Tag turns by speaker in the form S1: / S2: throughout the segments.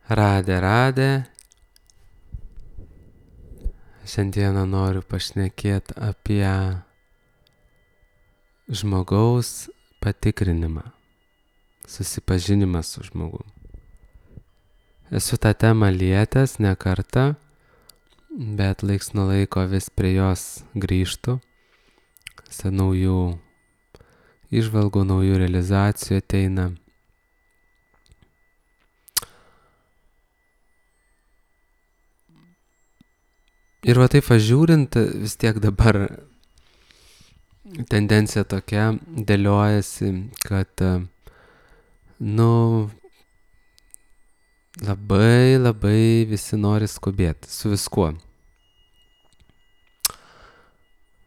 S1: Radė. Šiandieną noriu pašnekėti apie žmogaus patikrinimą, susipažinimą su žmogum. Esu tą temą lietęs ne kartą, bet laiks nuo laiko vis prie jos grįžtu. Naujų įžvalgų, naujų realizacijų ateina. Ir va taip žiūrint, vis tiek dabar tendencija tokia dėliojasi, kad labai visi nori skubėti su viskuo.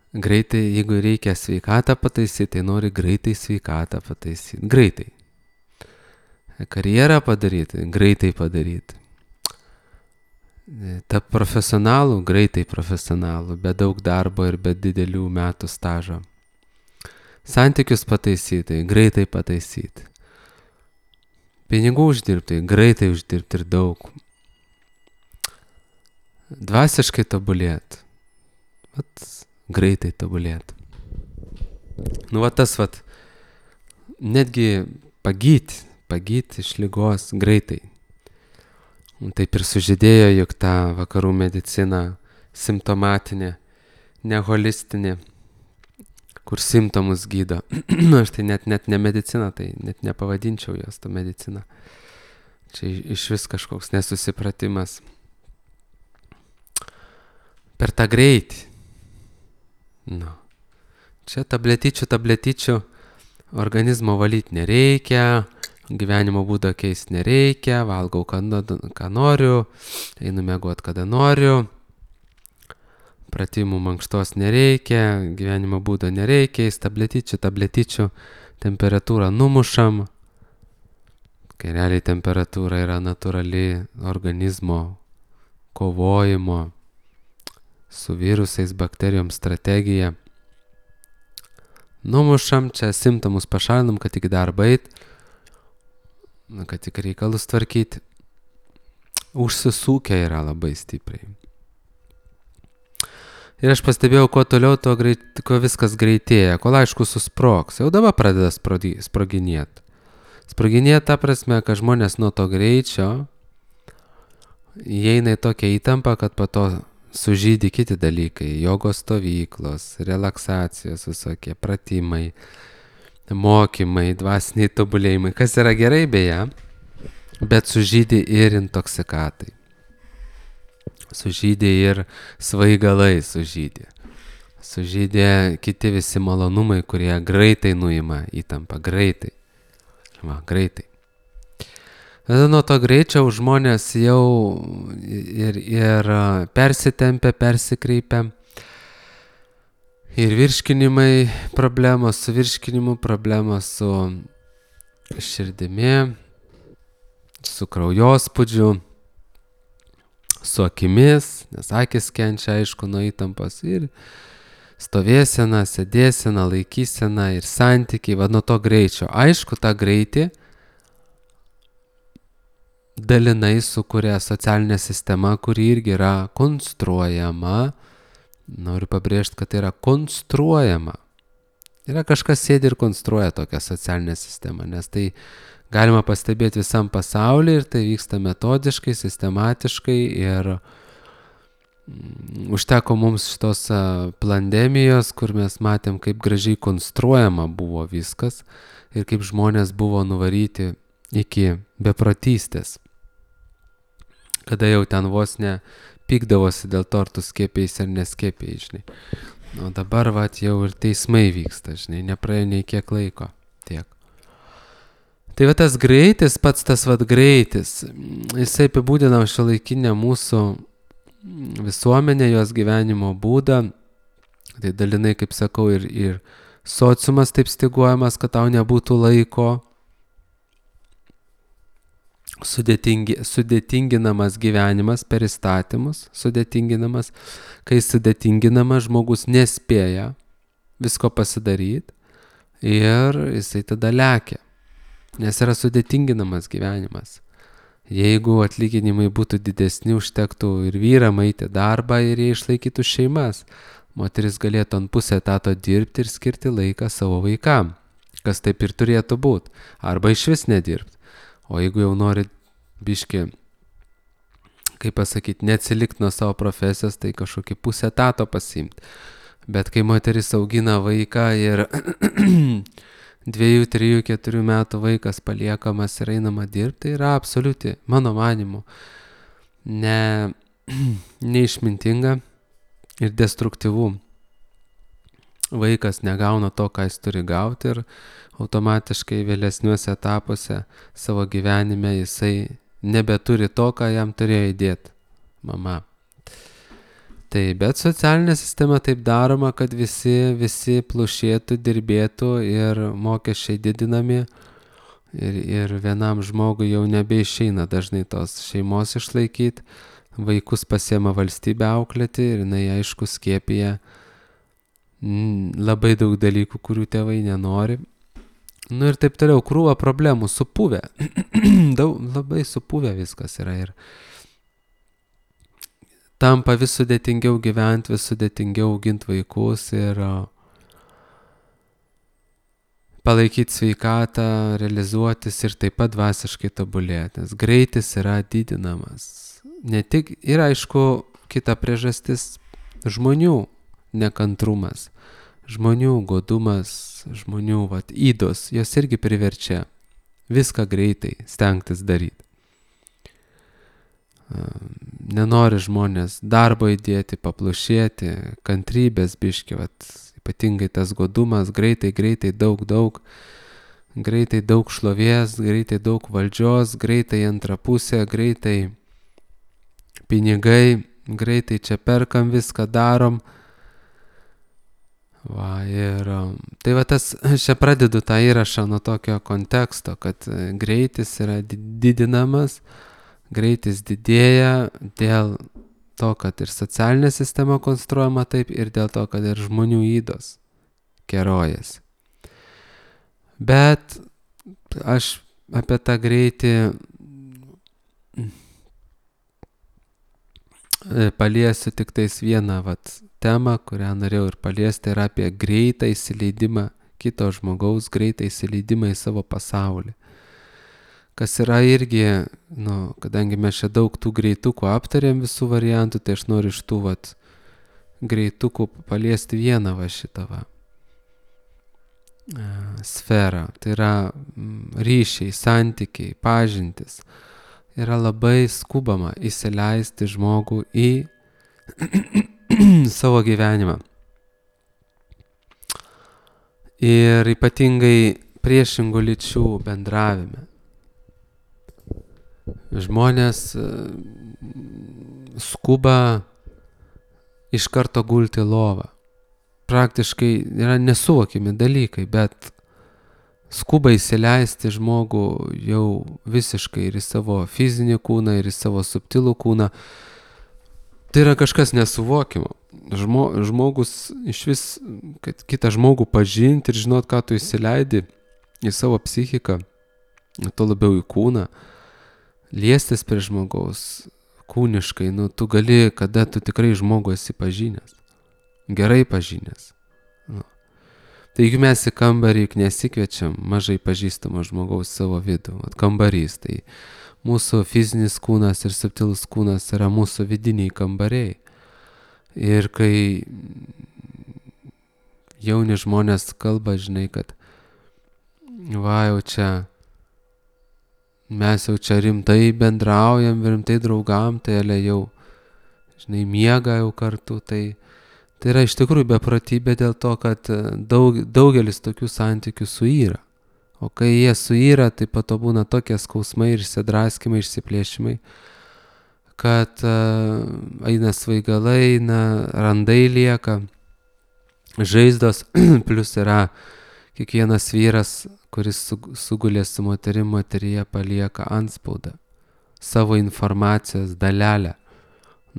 S1: Greitai, jeigu reikia sveikatą pataisyti, tai nori greitai sveikatą pataisyti. Greitai. Karjerą padaryti, greitai padaryti. Tap profesionalų, greitai profesionalų, be daug darbo ir be didelių metų stažo. Santykius pataisyti, greitai pataisyti. Pinigų uždirbti, greitai uždirbti ir daug. Dvasiškai tobulėti. Greitai tobulėti. Netgi pagyti iš ligos greitai. Taip ir sužydėjo, juk ta vakarų medicina simptomatinė, ne holistinė, kur simptomus gydo. Aš tai net ne medicina, tai net nepavadinčiau jos tą mediciną. Čia iš vis kažkoks nesusipratimas. Per tą greitį. Čia tabletyčių organizmo valyti nereikia, gyvenimo būdą keisti nereikia, valgau ką noriu, einu miegoti kada noriu, pratimų mankštos nereikia, gyvenimo būdo nereikia, tabletyčių temperatūrą numušam, kai realiai temperatūra yra natūrali organizmo kovojimo su virusais, bakterijom strategija. Numušam, čia simptomus pašalinam, kad tik darbą eit, kad tik reikalus tvarkyti. Užsisukę yra labai stipriai. Ir aš pastebėjau, kuo toliau, kuo viskas greitėja, kol aišku susprogs. Jau dabar pradeda sproginėti. Sproginėti ta prasme, kad žmonės nuo to greičio įeina į tokią įtampą, kad po to sužydi kiti dalykai. Jogos stovyklos, relaksacijos, visokie pratimai, mokymai, dvasiniai tobulėjimai, kas yra gerai beje, bet sužydi ir intoksikatai. Sužydė ir svaigalai sužydė. Sužydė kiti visi malonumai, kurie greitai nuima įtampą, greitai. Nuo to greičio žmonės jau ir persitempia, persikreipia. Ir virškinimai problemos, su virškinimu problemos, su širdimi, su kraujospūdžiu, su akimis, nes akis kenčia aišku nuo įtampos, ir stovėsena, sėdėsena, laikysena ir santykiai, nuo to greičio. Aišku, tą greitį dalinai sukuria socialinė sistema, kuri irgi yra konstruojama. Noriu pabrėžti, kad tai yra konstruojama. Yra kažkas sėdi ir konstruoja tokią socialinę sistemą, nes tai galima pastebėti visam pasaulyje ir tai vyksta metodiškai, sistematiškai ir užteko mums šitos pandemijos, kur mes matėm, kaip gražiai konstruojama buvo viskas ir kaip žmonės buvo nuvaryti iki beprotystės. Kada jau ten vos ne pykdavosi dėl to, ar tu skiepėjai ar neskiepėjai, žinai. O dabar jau ir teismai vyksta, žinai, nepraėjo nei kiek laiko. Tiek. Tai tas greitis, pats tas greitis, jisai apibūdina šiuolaikinę mūsų visuomenę, jos gyvenimo būdą. Tai dalinai, kaip sakau, ir sociumas taip styguojamas, kad tau nebūtų laiko. Sudėtinginamas gyvenimas per įstatymus, kai sudėtinginamas žmogus nespėja visko pasidaryti ir jisai tada lekia, nes yra sudėtinginamas gyvenimas. Jeigu atlyginimai būtų didesni, užtektų ir vyram eiti darbą ir jie išlaikytų šeimas. Moteris galėtų ant pusę etato dirbti ir skirti laiką savo vaikam, kas taip ir turėtų būti. Arba iš vis nedirbti. O jeigu jau nori biški, kaip pasakyti, neatsilikti nuo savo profesijos, tai kažkokį pusę etato pasiimti. Bet kai moteris augina vaiką ir 2, 3, 4 metų vaikas paliekamas ir einama dirbti, tai yra absoliuti, mano manimu, neišmintinga ir destruktyvu. Vaikas negauna to, ką jis turi gauti ir automatiškai vėlesniuose etapuose savo gyvenime jisai nebeturi to, ką jam turėjo įdėti mama. Tai bet socialinė sistema taip daroma, kad visi plušėtų, dirbėtų ir mokesčiai didinami ir vienam žmogui jau nebeišeina dažnai tos šeimos išlaikyti, vaikus pasiema valstybę auklėti ir jinai aišku skiepija labai daug dalykų, kurių tėvai nenori. Ir taip toliau, krūva problemų, supuvę, labai supuvę viskas yra ir tampa vis sudėtingiau gyventi, vis sudėtingiau auginti vaikus ir palaikyti sveikatą, realizuotis ir taip pat dvasiškai tobulėti, nes greitis yra didinamas. Ne tik, ir aišku, kita priežastis - žmonių nekantrumas, žmonių godumas, žmonių ydos, jos irgi priverčia viską greitai stengtis daryti. Nenori žmonės darbo įdėti, paplušėti, kantrybės biški, ypatingai tas godumas, greitai, daug, greitai daug šlovės, greitai daug valdžios, greitai antra pusė, greitai pinigai, greitai čia perkam, viską darom. Tai aš čia pradedu tą įrašą nuo tokio konteksto, kad greitis yra didinamas, greitis didėja dėl to, kad ir socialinė sistema konstruojama taip ir dėl to, kad ir žmonių ydos kerojasi. Bet aš apie tą greitį paliesiu tik tais vieną temą, kurią norėjau ir paliesti, yra apie greitą įsileidimą kito žmogaus, greitą įsileidimą į savo pasaulį. Kas yra irgi, kadangi mes čia daug tų greitukų aptarėm visų variantų, tai aš noriu iš tų greitukų paliesti vieną šitą sferą. Tai yra ryšiai, santykiai, pažintis. Yra labai skubama įsileisti žmogų į savo gyvenimą. Ir ypatingai priešingų lyčių bendravime. Žmonės skuba iš karto gulti lovą. Praktiškai yra nesuvokiami dalykai, bet skuba įsileisti žmogų jau visiškai ir į savo fizinį kūną, ir į savo subtilų kūną. Tai yra kažkas nesuvokimo. Žmogus iš vis, kad kitą žmogų pažinti ir žinot, ką tu įsileidi į savo psichiką, to labiau į kūną, liestis prie žmogaus kūniškai, tu gali, kada tu tikrai žmogų esi pažinęs, gerai pažinęs. Taigi mes į kambarį nesikviečiam mažai pažįstamo žmogaus savo vidų, kambarys, tai mūsų fizinis kūnas ir subtilus kūnas yra mūsų vidiniai kambariai. Ir kai jauni žmonės kalba, žinai, kad jau čia mes jau čia rimtai bendraujam, rimtai draugam, tai jau, žinai, miega jau kartu, tai yra iš tikrųjų beprotybė dėl to, kad daugelis tokių santykių suyra. O kai jie suyra, tai po to būna tokie skausmai ir išsidraskymai, išsiplėšimai, kad eina svaigalai, randai lieka, žaizdos, plus yra kiekvienas vyras, kuris sugulė su moteryje palieka antspaudą, savo informacijos dalelę,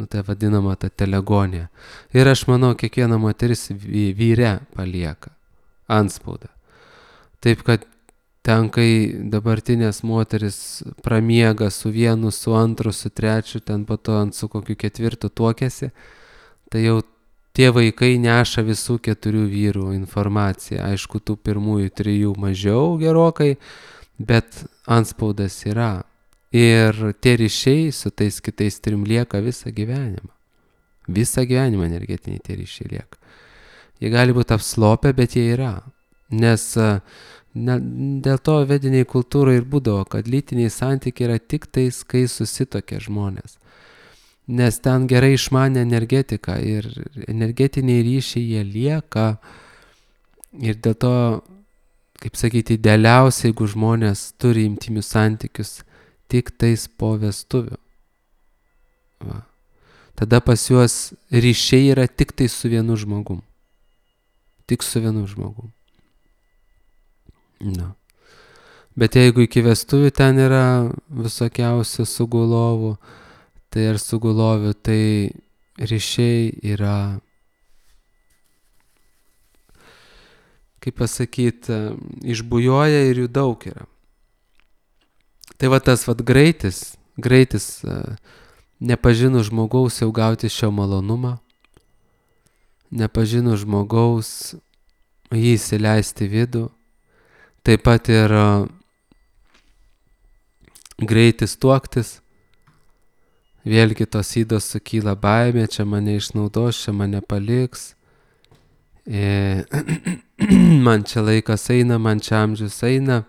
S1: tai vadinama ta telegonija. Ir aš manau, kiekviena moteris vyre palieka antspaudą. Taip kad ten, kai dabartinės moteris pramiega su vienu, su antru, su trečiu, ten po to su kokiu ketvirtu tuokėsi, tai jau tie vaikai neša visų 4 vyrų informaciją. Aišku, tų pirmųjų 3 mažiau gerokai, bet antspaudas yra. Ir tie ryšiai su tais kitais 3 lieka visą gyvenimą. Visą gyvenimą energetiniai tie ryšiai lieka. Jie gali būti apslopę, bet jie yra. Nes dėl to vediniai kultūrai ir būdavo, kad lytiniai santykiai yra tik tais, kai susitokia žmonės. Nes ten gerai išmanė energetiką ir energetiniai ryšiai jie lieka. Ir dėl to, kaip sakyti, idealiausia, jeigu žmonės turi intimius santykius tik tais po vestuvių. Va. Tada pas juos ryšiai yra tik tai su vienu žmogum. Tik su vienu žmogum. Na. Bet jeigu iki vestuvių ten yra visokiausių sugulovų, tai ar sugulovių, tai ryšiai yra, kaip pasakyti, išbujoja ir jų daug yra. Tai va tas greitis nepažinus žmogaus jau gauti šio malonumą, nepažinus žmogaus jį įsileisti vidų, taip pat ir greitis tuoktis, vėlgi tos ydos sukyla baimė, čia mane išnaudos, čia mane paliks, man čia laikas eina, man čia amžius eina.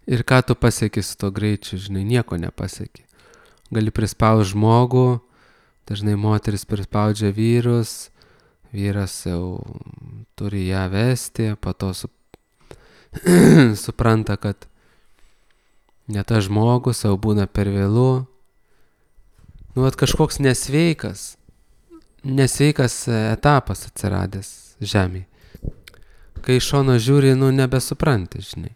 S1: Ir ką tu pasieki su to greičiu, žinai, nieko nepasieki. Gali prispaust žmogų, dažnai moteris prispaudžia vyrus, vyras jau turi ją vesti, po to supranta, kad ne tas žmogus, jau būna per vėlu. Nu, kažkoks nesveikas etapas atsiradęs žemėje. Kai iš šono žiūri, nebesupranti, žinai.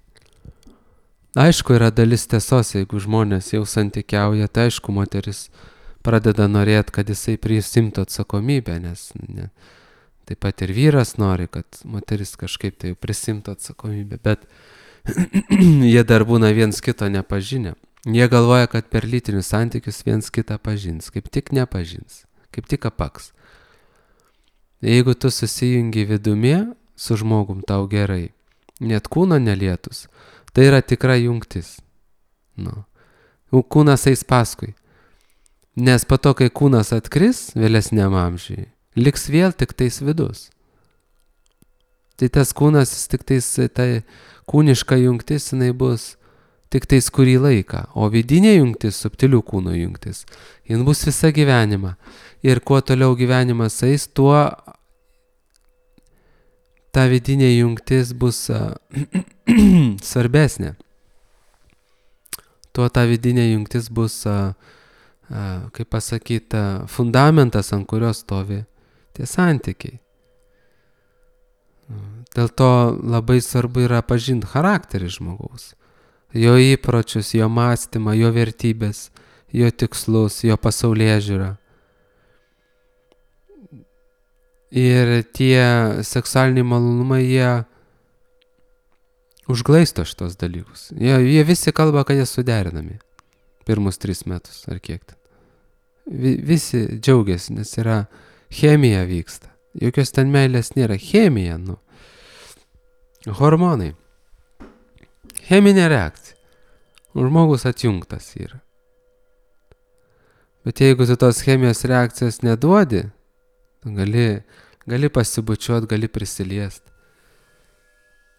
S1: Aišku, yra dalis tiesos, jeigu žmonės jau santykiauja, tai aišku, moteris pradeda norėti, kad jisai prisimtų atsakomybę, nes taip pat ir vyras nori, kad moteris kažkaip tai prisimtų atsakomybę, bet jie dar būna viens kito nepažinę. Jie galvoja, kad per lytinius santykius viens kitą pažins, kaip tik nepažins, kaip tik apaks. Jeigu tu susijungi vidumi su žmogum, tau gerai, net kūno nelietus, tai yra tikra jungtis. Kūnas eis paskui. Nes po to, kai kūnas atkris vėlesniam amžiui, liks vėl tik tais vidus. Tai tas kūnas, tik tais, tai kūniška jungtis, jinai bus tik tais kurį laiką. O vidinė jungtis, subtilių kūno jungtis, jin bus visą gyvenimą. Ir kuo toliau gyvenimas eis, tuo ta vidinė jungtis bus svarbesnė. Tuo ta vidinė jungtis bus, kaip pasakyti, fundamentas, ant kurio stovi tie santykiai. Dėl to labai svarbu yra pažinti charakterį žmogaus. Jo įpročius, jo mąstymą, jo vertybės, jo tikslus, jo pasaulėžiūrą. Ir tie seksualiniai malonumai, jie užglaisto šitos dalykus. Jie visi kalba, kad jie suderinami. Pirmus 3 metus ar kiek ten. Visi džiaugiasi, nes yra chemija vyksta. Jokios ten meilės nėra. Chemija, hormonai. Cheminė reakcija. Žmogus atjungtas yra. Bet jeigu tu tos chemijos reakcijos neduodi, gali pasibučiuot, gali prisiliest.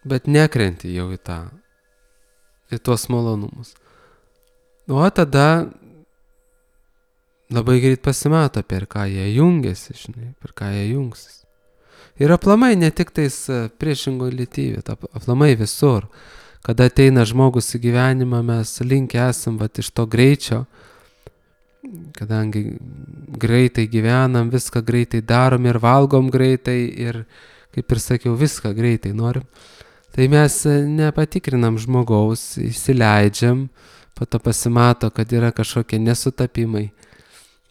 S1: Bet nekrenti jau į tuos malonumus. O tada labai greit pasimato, per ką jie jungiasi, žinai, per ką jie jungsis. Ir aplamai ne tik tais priešingo lytybė, aplamai visur. Kada ateina žmogus į gyvenimą, mes linkę esam iš to greičio, kadangi greitai gyvenam, viską greitai darom ir valgom greitai ir, kaip ir sakiau, viską greitai norim. Tai mes nepatikrinam žmogaus, įsileidžiam, po to pasimato, kad yra kažkokie nesutapimai.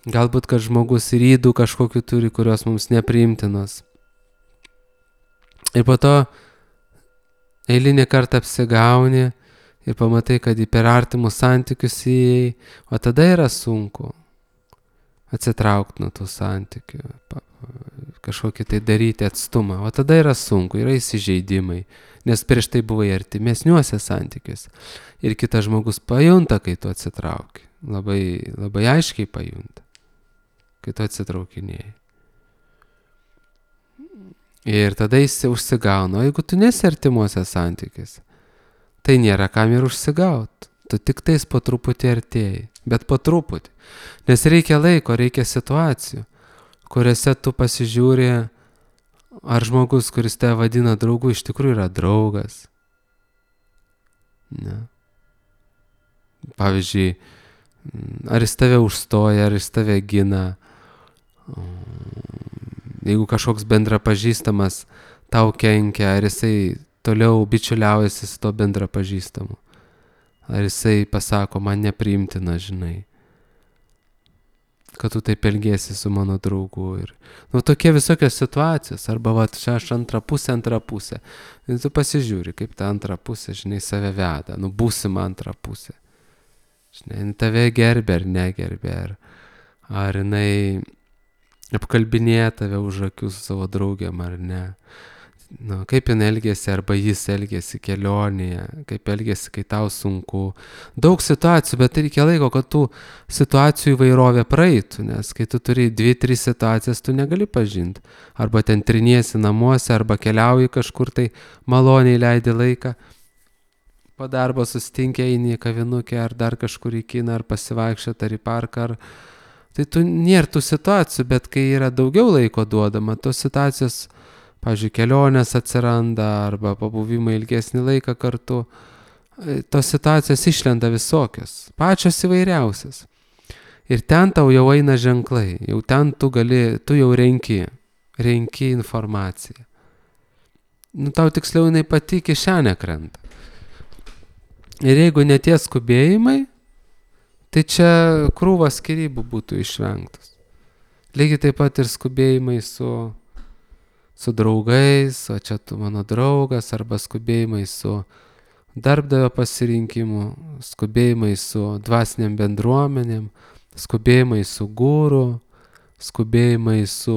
S1: Galbūt, kad žmogus ir ydų kažkokių turi, kurios mums nepriimtinos. Ir po to eilinį kartą apsigauni ir pamatai, kad į per artimus santykius įėjai, o tada yra sunku atsitraukti nuo tų santykių, kažkokį tai daryti atstumą, o tada yra sunku, yra įsižeidimai, nes prieš tai buvai artimesniuose santykiuose. Ir kitas žmogus pajunta, kai tu atsitrauki, labai aiškiai pajunta, kai tu atsitraukinėjai. Ir tada jis užsigauna, o jeigu tu nesi artimuose santykiuose, tai nėra kam ir užsigauti. Tu tik tais po truputį artėjai, bet po truputį. Nes reikia laiko, reikia situacijų, kuriuose tu pasižiūri, ar žmogus, kuris tave vadina draugu, iš tikrųjų yra draugas. Ne. Pavyzdžiui, ar jis tave užstoja, ar jis tave gina. Jeigu kažkoks bendrapažįstamas tau kenkia, ar jisai toliau bičiuliaujasi su to bendrapažįstamu. Ar jisai pasako, man nepriimtina, žinai, kad tu taip elgiesi su mano draugu. Ir, tokie visokios situacijos. Arba, čia aš antrą pusę. Ir tu pasižiūri, kaip ta antra pusė, žinai, save veda. Būsima antra pusė. Žinai, tave gerbė ar negerbė. Ar jinai apkalbinėja tave už akių su savo draugiam ar ne. Kaip jin elgėsi arba jis elgėsi kelionėje, kaip elgėsi, kai tau sunku. Daug situacijų, bet reikia laiko, kad tų situacijų įvairovė praeitų, nes kai tu turi 2-3 situacijas, tu negali pažinti. Arba ten triniesi namuose, arba keliauji kažkur tai maloniai leidi laiką. Po darbo susitinki, eini į kavinukę, ar dar kažkur į kiną, ar pasivaikščioti, ar į parką. Tai tu nėra tų situacijų, bet kai yra daugiau laiko duodama, tos situacijos, pavyzdžiui, kelionės atsiranda arba pabuvimai ilgesnį laiką kartu, tos situacijos išlenda visokios, pačios įvairiausias. Ir ten tau jau eina ženklai, jau ten tu jau renki informaciją. Tau tiksliau jinai pati kišenė krenta. Ir jeigu netie skubėjimai, tai čia krūvas skyrybų būtų išvengtos. Lygiai taip pat ir skubėjimai su draugais, o čia tu mano draugas, arba skubėjimai su darbdavio pasirinkimu, skubėjimai su dvasiniam bendruomenėm, skubėjimai su guru, skubėjimai su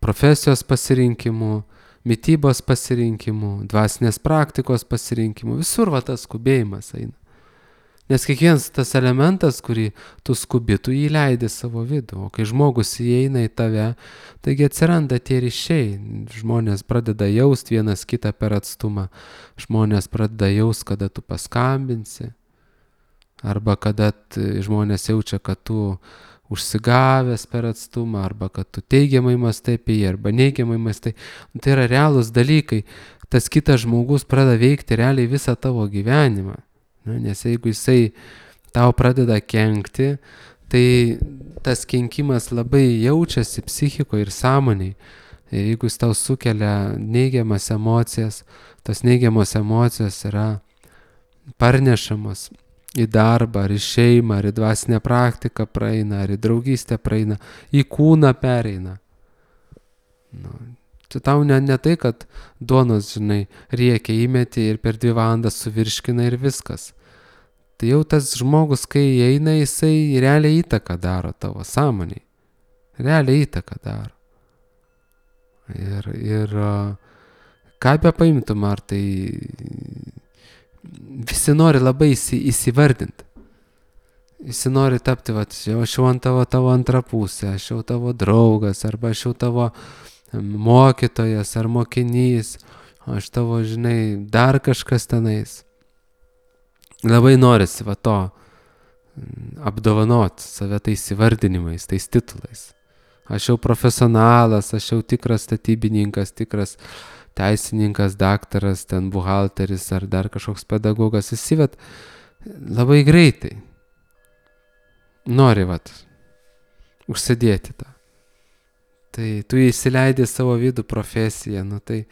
S1: profesijos pasirinkimu, mitybos pasirinkimu, dvasinės praktikos pasirinkimu. Visur tas skubėjimas eina. Nes kiekvienas tas elementas, kurį tu skubi, tu jį leidi savo vidų. O kai žmogus įeina į tave, taigi atsiranda tie ryšiai. Žmonės pradeda jausti vienas kitą per atstumą. Žmonės pradeda jausti, kada tu paskambinsi. Arba kada žmonės jaučia, kad tu užsigavęs per atstumą. Arba kad tu teigiamai mąstai apie jį, arba neigiamai mąstai. Tai yra realūs dalykai. Tas kitas žmogus pradeda veikti realiai visą tavo gyvenimą. Nes jeigu jisai tau pradeda kenkti, tai tas kenkimas labai jaučiasi psichikoje ir sąmonėje. Ir jeigu jis tau sukelia neigiamas emocijas, tos neigiamos emocijos yra parnešamos į darbą, ar į šeimą, ar į dvasinę praktiką praeina, ar į draugystę praeina, į kūną pereina. Tai tau ne tai, kad duonos, žinai, riekia įmeti ir per 2 valandas suvirškina ir viskas. Tai jau tas žmogus, kai įeina, jisai realiai įtaką daro tavo sąmoniai. Realiai įtaką daro. Ir ką be paimtum, ar tai visi nori labai įsivardinti. Visi nori tapti, aš jau ant tavo antrą pusę, aš jau tavo draugas, arba aš jau tavo mokytojas ar mokinys, aš tavo, žinai, dar kažkas tenais. Labai norisi to apdovanoti save tais įvardinimais, tais titulais. Aš jau profesionalas, aš jau tikras statybininkas, tikras teisininkas, daktaras, ten buhalteris ar dar kažkoks pedagogas. Visi labai greitai nori užsidėti tą. Tai tu įsileidi savo vidų profesiją, tai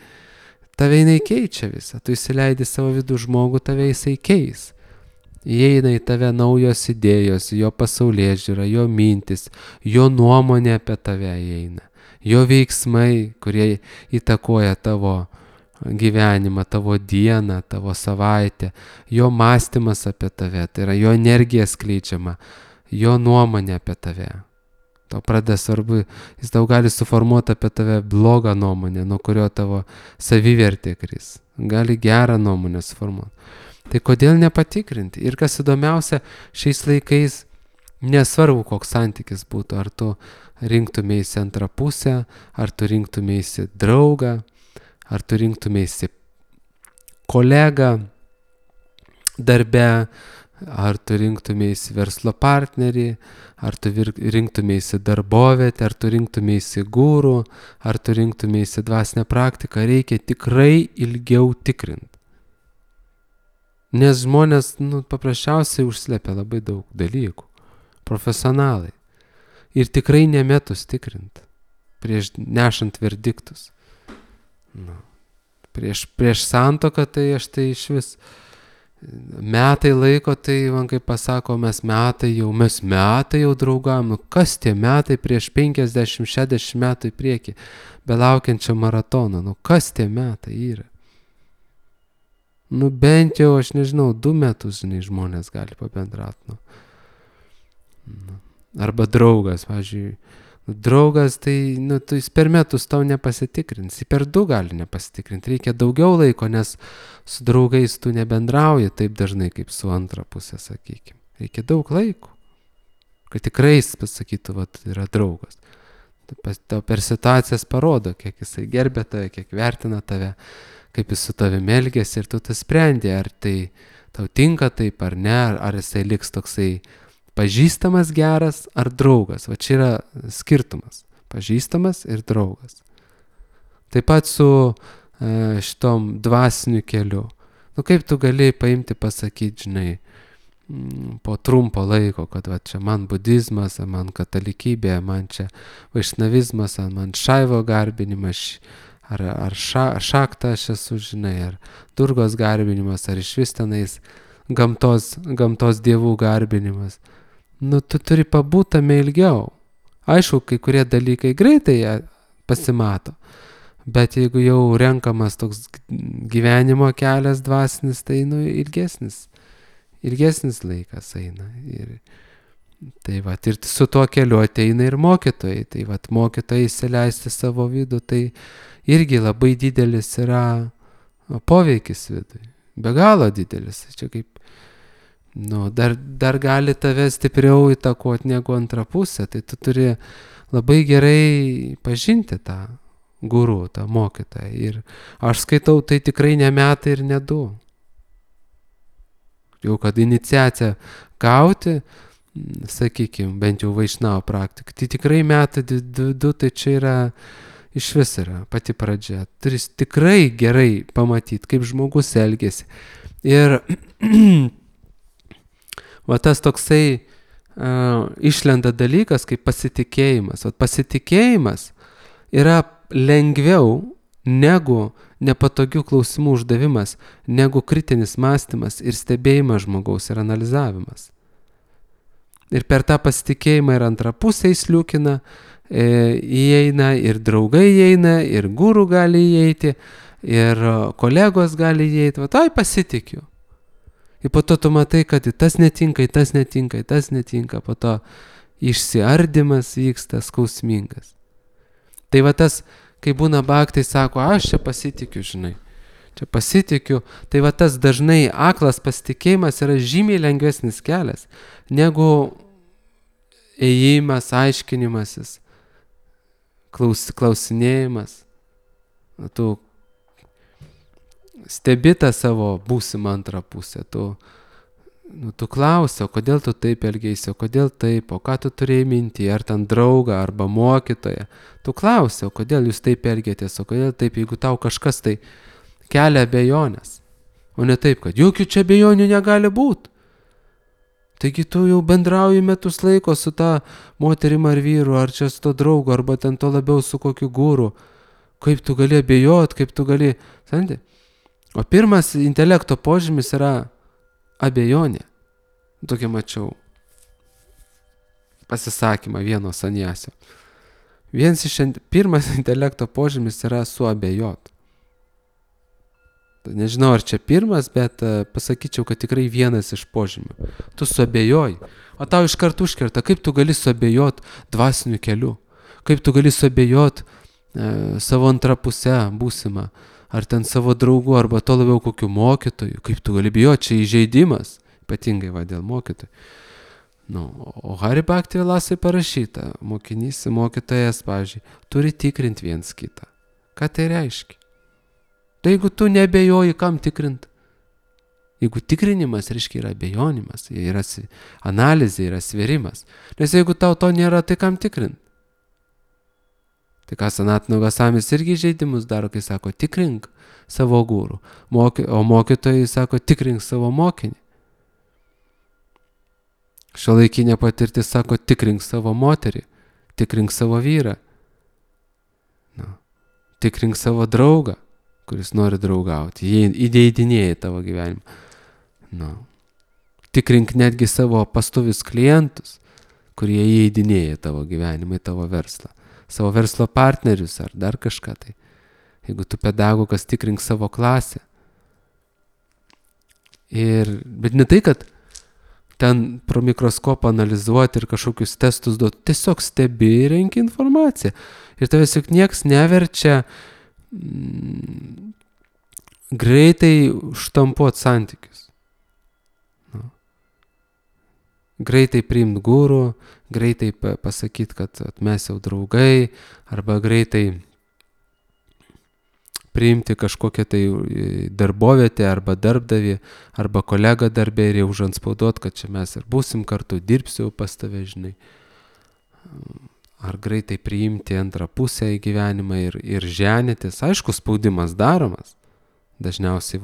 S1: tave jinai keičia visą. Tu įsileidi savo vidų žmogų, tave jisai keis. įeina į tave naujos idėjos, jo pasaulėžiūra, jo mintis, jo nuomonė apie tave įeina, jo veiksmai, kurie įtakoja tavo gyvenimą, tavo dieną, tavo savaitę, jo mąstymas apie tave, tai yra jo energija skleidžiama, jo nuomonė apie tave. Tau pradeda svarbu, jis tau gali suformuoti apie tave blogą nuomonę, nuo kurio tavo savivertė kris. Gali gerą nuomonę suformuoti. Tai kodėl nepatikrinti? Ir kas įdomiausia, šiais laikais nesvarbu, koks santykis būtų, ar tu rinktumėsi antrą pusę, ar tu rinktumėsi draugą, ar tu rinktumėsi kolegą darbe, ar tu rinktumėsi verslo partnerį, ar tu rinktumėsi darbovietę, ar tu rinktumėsi gūrų, ar tu rinktumėsi dvasinę praktiką, reikia tikrai ilgiau tikrinti. Nes žmonės paprasčiausiai užslepia labai daug dalykų, profesionalai. Ir tikrai nemetus tikrinti, prieš nešant verdiktus. Prieš santuoką tai aš tai iš vis metai laiko, tai man kaip pasako, mes metai jau draugam. Kas tie metai prieš 50-60 metų į priekį, belaukiančio maratono, kas tie metai yra? Bent jau, aš nežinau, 2 metus, žmonės gali pabendrauti. Arba draugas, pavyzdžiui, draugas, tai jis per metus tau nepasitikrins, per 2 gali nepasitikrinti, reikia daugiau laiko, nes su draugais tu nebendrauji taip dažnai kaip su antra pusė, sakykime. Reikia daug laiko, kad tikrai jis pasakytų, yra draugas. Tau per situacijas parodo, kiek jisai gerbia tave, kiek vertina tave, kaip jis su tavimi elgiasi, ir tu tas sprendi, ar tai tau tinka taip ar ne, ar jisai liks toksai pažįstamas geras ar draugas. Va čia yra skirtumas. Pažįstamas ir draugas. Taip pat su šitom dvasiniu keliu. Kaip tu gali paimti, pasakyti, po trumpo laiko, kad va čia man budizmas, man katalikybė, man čia vaišnavizmas, man šaivo garbinimas, ar šaktą aš esu, ar durgos garbinimas, ar iš vis tenais gamtos dievų garbinimas. Tu turi pabūt tame ilgiau. Aišku, kai kurie dalykai greitai pasimato, bet jeigu jau renkamas toks gyvenimo kelias dvasinis, tai ilgesnis laikas eina. Ir su tuo keliu ateina ir mokytojai. Tai mokytojai įsileisti savo vidų, tai irgi labai didelis yra poveikis vidui. Be galo didelis. Čia kaip dar gali tave stipriau įtakoti negu antra pusė, tai tu turi labai gerai pažinti tą guru, tą mokytoją. Ir aš skaitau, tai tikrai ne metai ir ne 2. Jau kad iniciaciją gauti, sakykime, bent jau vaišnavo praktiką, tai tikrai metai 2, tai čia yra iš vis yra pati pradžia. Turi tikrai gerai pamatyti, kaip žmogus elgiasi. Ir tas toksai išlenda dalykas kaip pasitikėjimas. Pasitikėjimas yra lengviau negu nepatogių klausimų uždavimas, negu kritinis mąstymas ir stebėjimas žmogaus ir analizavimas. Ir per tą pasitikėjimą ir antrą pusę įsliūkina, įeina ir draugai įeina, ir guru gali įeiti, ir kolegos gali įeiti. Pasitikiu. Ir po to tu matai, kad tas netinka, po to išsiardymas vyksta skausmingas. Tai tas, kai būna bhaktai, sako, aš čia pasitikiu, čia pasitikiu, tai tas dažnai aklas pasitikėjimas yra žymiai lengvesnis kelias, negu ėjimas, aiškinimasis, klausinėjimas. Tu stebi tą savo būsimą antrą pusę, tu klausi, o kodėl tu taip elgeisi, o kodėl taip, o ką tu turėjai minti, ar ten draugą, arba mokytoją. Tu klausi, o kodėl jūs taip elgėtės, o kodėl taip, jeigu tau kažkas tai kelia abejonės. O ne taip, kad jokių čia abejonių negali būti. Taigi tu jau bendrauji metus laiko su ta moterim ar vyru, ar čia su to draugu, arba ten to labiau su kokiu guru. Kaip tu gali abejoti, kaip tu gali... O pirmas intelekto požymis yra abejonė. Tokia mačiau pasisakymą vieno saniesio. Pirmas intelekto požymis yra suabejot. Nežinau, ar čia pirmas, bet pasakyčiau, kad tikrai vienas iš požymių. Tu suabejoji, o tau iš karto užkerta, kaip tu gali suabejot dvasiniu keliu, kaip tu gali suabejot savo antrą pusę būsimą, ar ten savo draugų, arba to labiau kokių mokytojų, kaip tu gali bijoti, čia įžeidimas, ypatingai dėl mokytojų. O Hari Bhakti Vilasai parašyta, mokytojas, pavyzdžiui, turi tikrinti viens kitą. Ką tai reiškia? Tai jeigu tu nebejoji, kam tikrint? Jeigu tikrinimas, reiškia, yra abejonimas, yra analizė, yra sverimas. Nes jeigu tau to nėra, tai kam tikrint? Tai ką Sanatana Gosamis irgi žaidimus daro, kai sako, tikrink savo gūrų. O mokytojai sako, tikrink savo mokinį. Šiuolaikinė patirtis sako, tikrink savo moterį, tikrink savo vyrą, tikrink savo draugą, kuris nori draugauti, jie įdeidinėja tavo gyvenimą. Tikrink netgi savo pastovius klientus, kurie įeidinėja tavo gyvenimą, tavo verslą, savo verslo partnerius ar dar kažką tai. Jeigu tu pedagogas, tikrink savo klasę. Bet ne tai, kad ten pro mikroskopą analizuoti ir kažkokius testus duoti, tiesiog stebi ir renki informaciją. Ir tavęs juk nieks neverčia greitai štampuot santykius. Greitai priimt gūrų, greitai pasakyti, kad mes jau draugai, arba greitai priimti kažkokią tai darbovietę, arba darbdavį, arba kolegą darbę ir jau užanspauduot, kad čia mes ir būsim kartu, dirbsiu pas tave, žinai. Ar greitai priimti antrą pusę į gyvenimą ir ženytis. Aišku, spaudimas daromas. Dažniausiai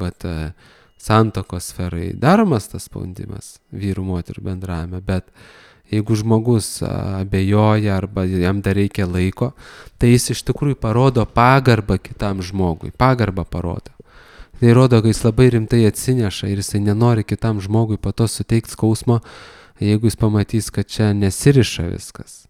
S1: santuokos sferai daromas tas spaudimas vyrų moterų bendravime, bet jeigu žmogus abejoja arba jam dar reikia laiko, tai jis iš tikrųjų parodo pagarbą kitam žmogui. Pagarbą parodo. Tai rodo, kad jis labai rimtai atsineša ir jisai nenori kitam žmogui po to suteikti skausmo, jeigu jis pamatys, kad čia nesiriša viskas.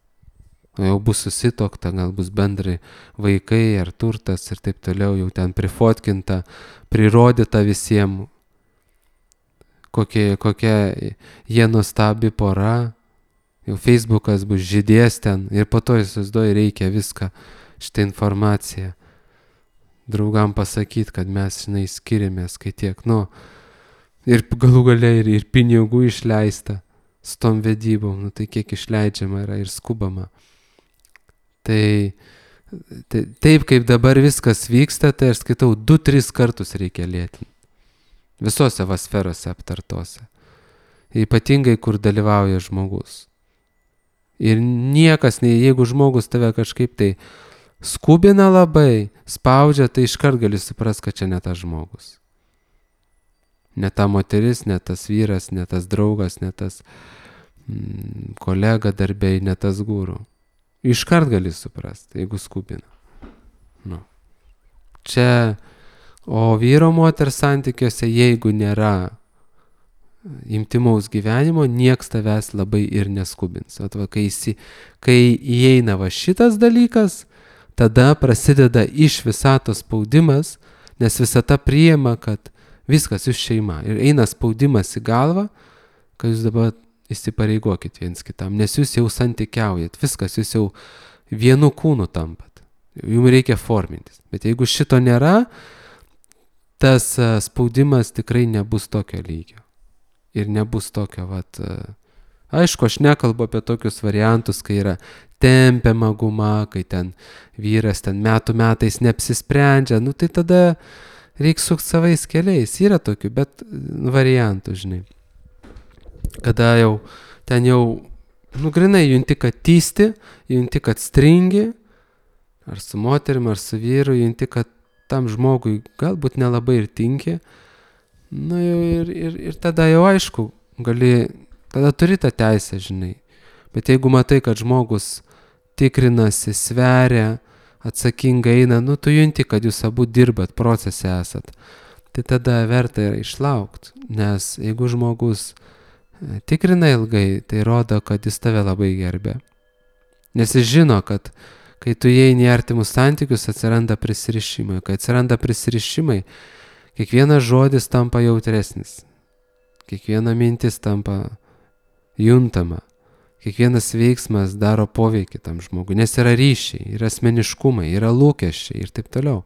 S1: O jau bus susitokta, gal bus bendrai vaikai ar turtas ir taip toliau, jau ten prifotkinta, prirodyta visiems, kokia jie nuostabi pora, jau Facebookas bus žydės ten ir po to įsivaizduoji reikia viską, šitą informaciją draugam pasakyti, kad mes, žinai, skiriamės, kai tiek, ir galų gale ir pinigų išleista su tom vedybom, tai kiek išleidžiama yra ir skubama. Tai taip kaip dabar viskas vyksta, tai aš skaitau 2-3 kartus reikia lėtinti. Visose sferose aptartose. Ypatingai, kur dalyvauja žmogus. Ir niekas, jeigu žmogus tave kažkaip tai skubina labai, spaudžia, tai iškart gali suprast, kad čia ne tas žmogus. Ne ta moteris, ne tas vyras, ne tas draugas, ne tas kolega darbei, ne tas guru. Iškart gali suprasti, jeigu skubina. Čia, o vyro moters santykiuose, jeigu nėra intimaus gyvenimo, nieks tavęs labai ir neskubins. Kai įeina šitas dalykas, tada prasideda iš visatos spaudimas, nes visata priima, kad viskas jūs šeima. Ir eina spaudimas į galvą, kad jūs dabar įsipareigokit viens kitam, nes jūs jau santykiaujat, viskas, jūs jau vienu kūnu tampat. Jums reikia formintis. Bet jeigu šito nėra, tas spaudimas tikrai nebus tokio lygio. Ir nebus tokio, aišku, aš nekalbu apie tokius variantus, kai yra tempiama guma, kai ten vyras metų metais neapsisprendžia, tai tada reikia sukti savais keliais. Yra tokių, bet variantų, žinai. Kada jau ten grinai junti, kad tysti, junti, kad stringi, ar su moterim, ar su vyru, junti, kad tam žmogui galbūt nelabai ir tinki. Ir tada jau aišku, tada turi tą teisę, žinai. Bet jeigu matai, kad žmogus tikrinasi, sveria, atsakingai eina, tu junti, kad jūs abu dirbat, procese esat. Tai tada verta yra išlaukti, nes jeigu žmogus tikrina ilgai, tai rodo, kad jis tave labai gerbė. Nes jis žino, kad kai tu įeini į artimus santykius, atsiranda prisirišimai. Kai atsiranda prisirišimai, kiekvienas žodis tampa jautresnis. Kiekviena mintis tampa juntama. Kiekvienas veiksmas daro poveikį tam žmogui, nes yra ryšiai, yra asmeniškumai, yra lūkesčiai ir taip toliau.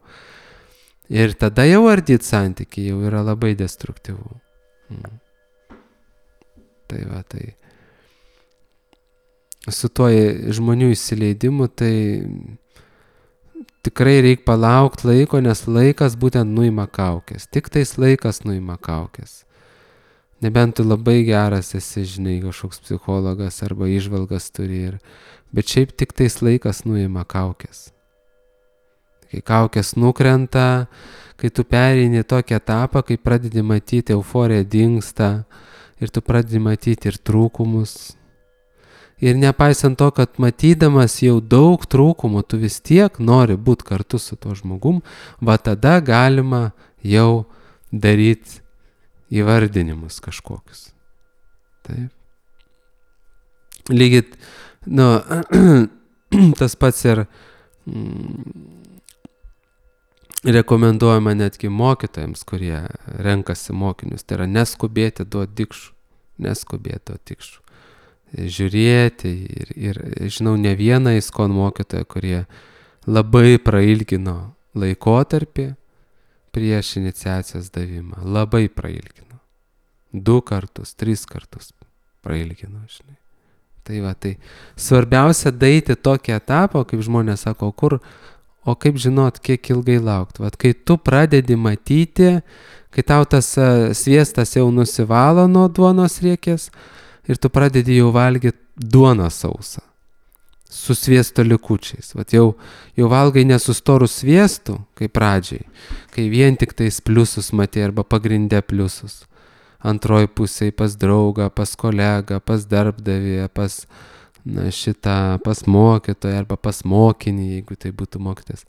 S1: Ir tada jau ardyti santykiai jau yra labai destruktyvu. Tai va, tai su tuo žmonių įsileidimu, tai tikrai reikia palaukti laiko, nes laikas būtent nuima kaukės. Tik tais laikas nuima kaukės. Nebent tu labai geras esi, žinai, kažkoks psichologas arba įžvalgas turi. Bet šiaip tik tais laikas nuima kaukės. Kai kaukės nukrenta, kai tu pereini tokį etapą, kai pradedi matyti, euforija dingsta ir tu pradedi matyti ir trūkumus. Ir nepaisant to, kad matydamas jau daug trūkumų, tu vis tiek nori būti kartu su tuo žmogum, va tada galima jau daryti įvardinimus kažkokius. Taip. Lygiai, tas pats ir rekomenduojama netgi mokytojams, kurie renkasi mokinius. Tai yra neskubėti duoti dikšų. Neskubėti duoti dikšų. Žiūrėti ir žinau ne vieną ISKCON mokytoją, kurie labai prailgino laikotarpį prieš iniciacijos davimą. Labai prailgino. 2 kartus, 3 kartus prailgino, žinai. Tai va, tai svarbiausia daeiti tokį etapą, kaip žmonės sako, o kaip žinot, kiek ilgai laukti. Vat kai tu pradedi matyti, kai tau tas sviestas jau nusivalo nuo duonos riekės ir tu pradedi jau valgyti duoną sausą su sviesto likučiais. Vat jau valgai nesustorų sviestų, kaip pradžiai, kai vien tik tais pliusus matė arba pagrindė pliusus. Antroji pusėje pas draugą, pas kolegą, pas darbdavį, pas pas mokytoją arba pas mokinį, jeigu tai būtų mokytojas.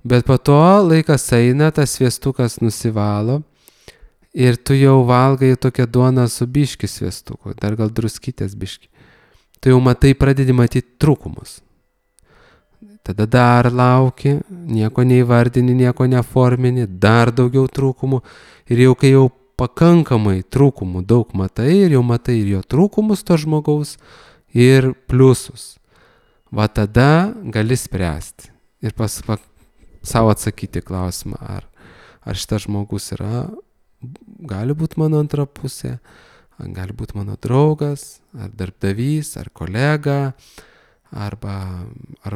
S1: Bet po to laikas eina, tas sviestukas nusivalo ir tu jau valgai tokią duoną su biški sviestuku, dar gal druskytės biški. Tu jau matai, pradedi matyti trūkumus. Tada dar lauki, nieko neįvardini, nieko neformini, dar daugiau trūkumų. Ir jau kai jau pakankamai trūkumų daug matai ir jau matai ir jo trūkumus to žmogaus ir pliusus. Va tada gali spręsti ir savo atsakyti klausimą, ar šitas žmogus gali būti mano antra pusė, gali būti mano draugas, ar darbdavys, ar kolega, ar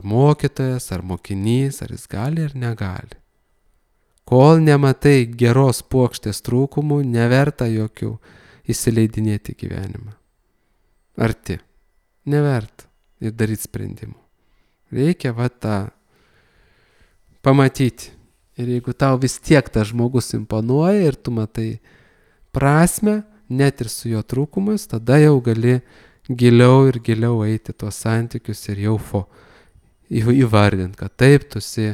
S1: mokytojas, ar mokinys, ar jis gali ar negali. Kol nematai geros puokštės trūkumų, neverta jokių įsileidinėti gyvenimą. Arti. Neverta ir daryti sprendimų. Reikia tą pamatyti. Ir jeigu tau vis tiek tas žmogus imponuoja ir tu matai prasmę, net ir su jo trūkumais, tada jau gali giliau ir giliau eiti tuos santykius ir jau įvardinti, kad taip tu esi,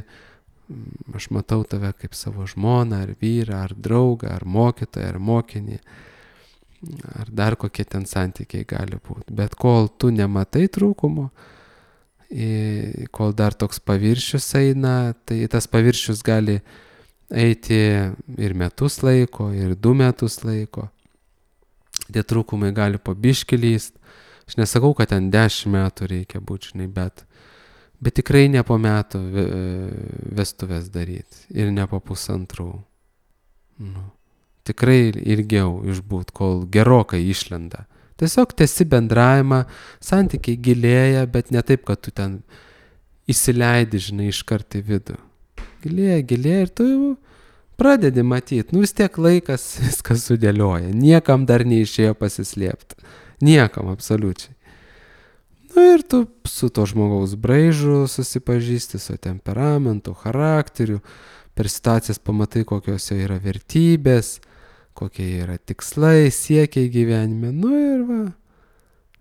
S1: aš matau tave kaip savo žmoną, ar vyrą, ar draugą, ar mokytoją, ar mokinį, ar dar kokie ten santykiai gali būti. Bet kol tu nematai trūkumo, kol dar toks paviršius eina, tai tas paviršius gali eiti ir metus laiko, ir 2 metus laiko. Tie trūkumai gali po biškį lyst. Aš nesakau, kad ten 10 metų reikia būti, žinai, bet tikrai ne po metų vestuvės daryti ir ne po 1,5. Tikrai ilgiau išbūt, kol gerokai išlenda. Tiesiog tęsi bendravimą, santykiai gilėja, bet ne taip, kad tu ten įsileidi, žinai, iškart į vidų. Gilėja ir tu jau pradedi matyti. Vis tiek laikas viskas sudėlioja. Niekam dar neišėjo pasislėpti. Niekam, absoliučiai. Ir tu su to žmogaus braižu susipažįsti, su temperamentu, charakteriu, per situacijas pamatai, kokios jo yra vertybės, kokie yra tikslai, siekiai gyvenime. Ir va,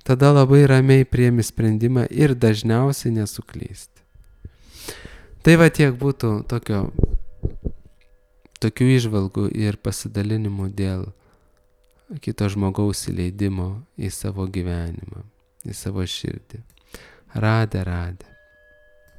S1: tada labai ramiai priimi sprendimą ir dažniausiai nesuklysti. Tai va tiek būtų tokių įžvalgų ir pasidalinimų dėl kito žmogaus įleidimo į savo gyvenimą, į savo širdį. Radė.